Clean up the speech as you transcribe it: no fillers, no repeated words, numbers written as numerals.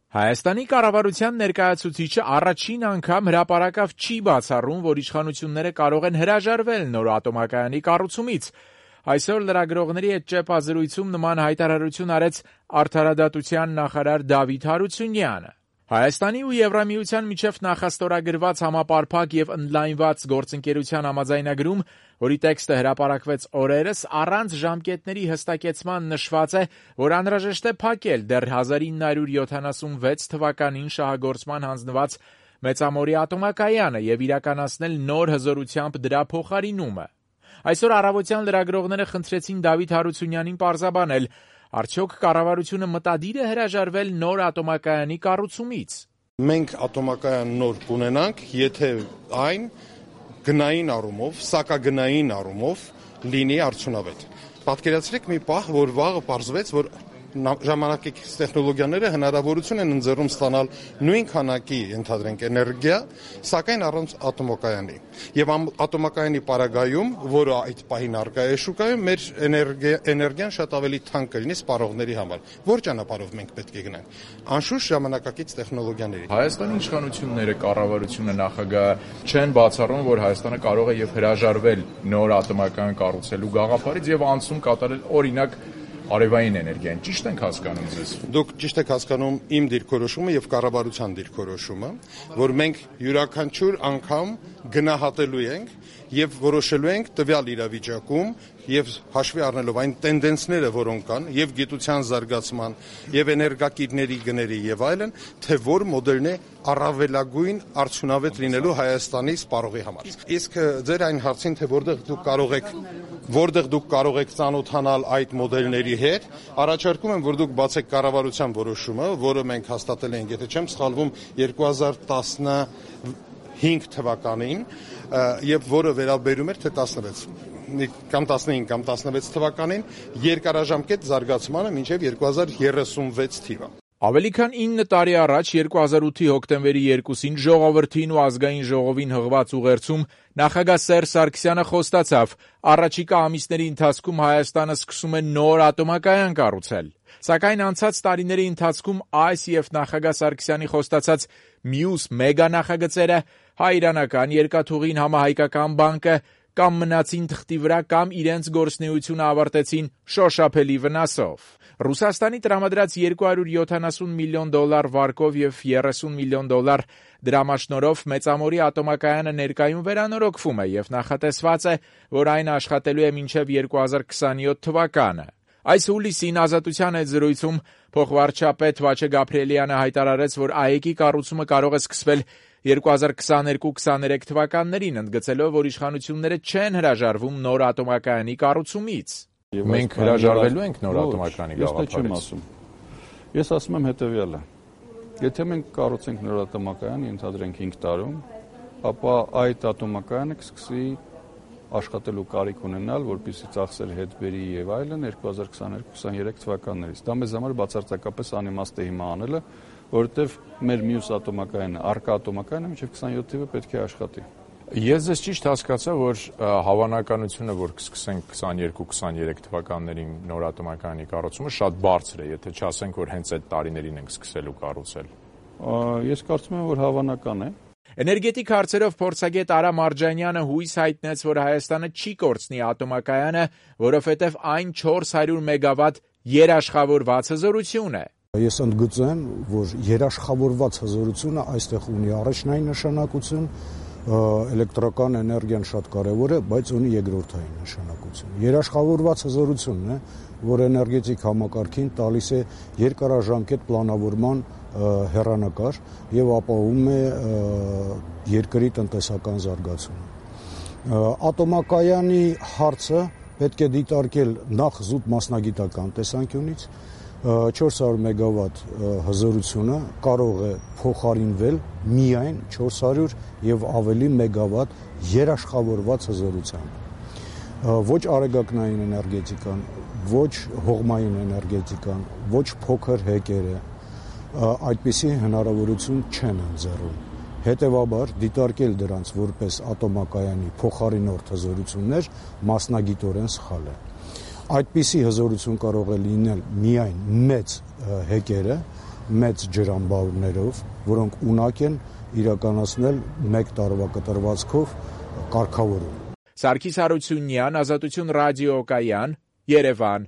Հայաստանի կառավարության ներկայացուցիչը առաջին անգամ հրապարակավ չի բացառում, որ իշխանությունները կարող են հրաժարվել նոր ատոմակայանի կառուցումից։ Այսօր լրագրողների հետ ճեպազրույցում նման հայտարարություն արեց Արդարադատության նախարար Դավիթ Հարությունյանը։ Հայաստանի ու Եվրամիության միջև նախաստորագրված համապարփակ եւ ընդլայնված գործընկերության համաձայնագրում, որի տեքստը հրապարակվեց օրերս, առանց ժամկետների հստակեցման նշված է, որ անհրաժեշտ է փակել դեռ 1976 թվականին շահագործման հանձնված Մեծամորի ատոմակայանը եւ իրականացնել նոր հզորությամբ դրա փոխարինումը։ Այսօր առավոտյան լրագրողները խնդրեցին Դավիթ Հարությունյանին պարզաբանել, արդյոք կառավարությունը մտադիր է հրաժարվել նոր ատոմակայանի կառուցումից։ Մենք ատոմակայան նոր կունենանք, եթե այն գնային առումով, սակագնային առումով լինի արդյունավետ։ Պատկերացրեք մի պահ, որ վաղը պարզվեց, որ ժամանակակից տեխնոլոգիաները հնարավորություն են ընձեռում ստանալ նույն քանակի, ընդհանրենք, էներգիա, սակայն առանց ատոմակայանի։ Եվ ատոմակայանի պարագայում, որը այդ պահին առկա է շուկայում, մեր էներգիան շատ ավելի թանկ կլինի սպառողների համար։ Որ ճանապարհով մենք պետք է գնանք։ Անշուշտ ժամանակակից տեխնոլոգիաների։ Հայաստանի իշխանությունները, կառավարությունը, նախագահը չեն բացառում, որ Հայաստանը կարող է եւ հրաժարվել նոր ատոմակայան կառուցելու գաղափարից եւ անցում կատարել օրինակ արևային էներգիան։ Ճիշտ ենք հասկանում ձեզ։ Դուք ճիշտ եք հասկանում իմ դիրքորոշումը եւ կառավարության դիրքորոշումը, որ մենք յուրաքանչյուր անգամ գնահատելու ենք եւ որոշելու ենք տվյալ իրավիճակում եւ հաշվի առնելով այն տենդենսները, որոնք կան, եւ գիտության զարգացման, եւ էներգակիրների գների եւ այլն, թե որ մոդելն է առավելագույն արդյունավետ լինելու Հայաստանի սպառողի համար։ Իսկ ձեր այն հարցին, թե որտեղ դուք կարող եք ծանոթանալ այդ մոդելների հետ, առաջարկում եմ, որ դուք բացեք կառավարության որոշումը, որը մենք հաստատել ենք, եթե չեմ սխալվում, 2015 թվականին, եւ որը վերաբերում էր թե 16 կամ 15 կամ 16 թվականին երկարաժամկետ զարգացմանը մինչև 2036 թիվը։ Ավելի քան 9 տարի առաջ 2008-ի հոկտեմբերի 2-ին ժողովրդին ու ազգային ժողովին հղված ուղերձում նախագահ Սերժ Սարգսյանը խոստացավ. առաջիկա ամիսների ընթացքում Հայաստանը սկսում է նոր ատոմակայան կառուցել։ Սակայն անցած տարիների ընթացքում այս եւ նախագահ Սարգսյանի խոստացած մյուս մեգա նախագծերը հայ-իրանական երկաթուղին համահայկական բանկը կամ մնացին թղթի վրա կամ իրենց գործունեությունը ավարտեցին շոշափելի վնասով։ Ռուսաստանի տրամադրած $270 միլիոն վարկով եւ $30 միլիոն դրամաշնորհով Մեծամորի ատոմակայանը ներկայում վերանորոգվում է եւ նախատեսված է, որ այն աշխատելու է մինչեւ 2027 թվականը։ Այս հուլիսին Ազատության հետ զրույցում փոխվարչապետ Վաչե Գաբրիելյանը հայտարարեց, որ ԱԵԿ-ի կառուցումը կարող է սկսվել 2022-23 թվականներին, ընդգծելով, որ իշխանությունները չեն հրաժարվում նոր ատոմակայանի կառուցումից։ Մենք հրաժարվելու ենք նոր ատոմակայանի գաղափարից։ Ես ասում եմ հետևյալը. եթե մենք կառուցենք նոր ատոմակայան, ընդհանրենք 5 տարում, ապա այդ ատոմակայանը կսկսի աշխատելու կարիք ունենալ, որպեսզի ծախսեր հետ բերի եւ այլն 2022-23 թվականներից։ Դա մեզ համար բացարձակապես անիմաստ է հիմա անելը, որովհետեւ մեր մյուս ատոմակայանը, արկա ատոմակայանը մինչեւ 27 թիվը պետք է աշխատի։ Ես ձեզ ճիշտ հասկացա, որ հավանականությունը, որ կսկսենք 22-23 թվականներին նոր ատոմակայանի կառուցումը շատ բարձր է, եթե չասենք, որ հենց այդ տարիներին ենք սկսելու կառուցել։ Ես կարծում եմ, որ հավանական է։ Էներգետիկ հարցերով փորձագետ Արա Մարջանյանը հույս հայտնեց, որ Հայաստանը չի կորցնի ատոմակայանը, որովհետև այն 400 մեգավատ երաշխավորված հզորություն է։ Ես ընդգծեմ, որ երաշխավորված հզորությունը այստեղ ունի առաջնային նշանակություն, էլեկտրական էներգիան շատ կարևոր է, բայց ունի երկրորդային նշանակություն։ Երաշխավորված հզորությունն է, որ էներգետիկ համակարգին տալիս է երկարաժամկետ պլանավորման հեռանկար եւ ապահովում է երկրի տնտեսական զարգացումը։ Ատոմակայանի հարցը պետք է դիտարկել նախ զուտ մասնագիտական տեսանկյունից, 400 մեգավատ հզորությունը կարող է փոխարինվել միայն 400 եւ ավելի մեգավատ երաշխավորված հզորությամբ։ Ոչ արեգակնային էներգետիկան, ոչ հողմային էներգետիկան, ոչ փոքր հեկերը այդպիսի հնարավորություն չեն ընձեռում։ Հետևաբար դիտարկել դրանց որպես ատոմակայանի փոխարինորդ հզորություններ մասնագիտորեն սխալ է։ Այդպիսի հզորություն կարող է լինել միայն մեծ հեկերը մեծ ջրամբարներով, որոնք ունակ են իրականացնել 1 տարվա կտրվածքով կարգավորում։ Սարգիս Հարությունյան, Ազատություն ռադիոկայան, Երևան։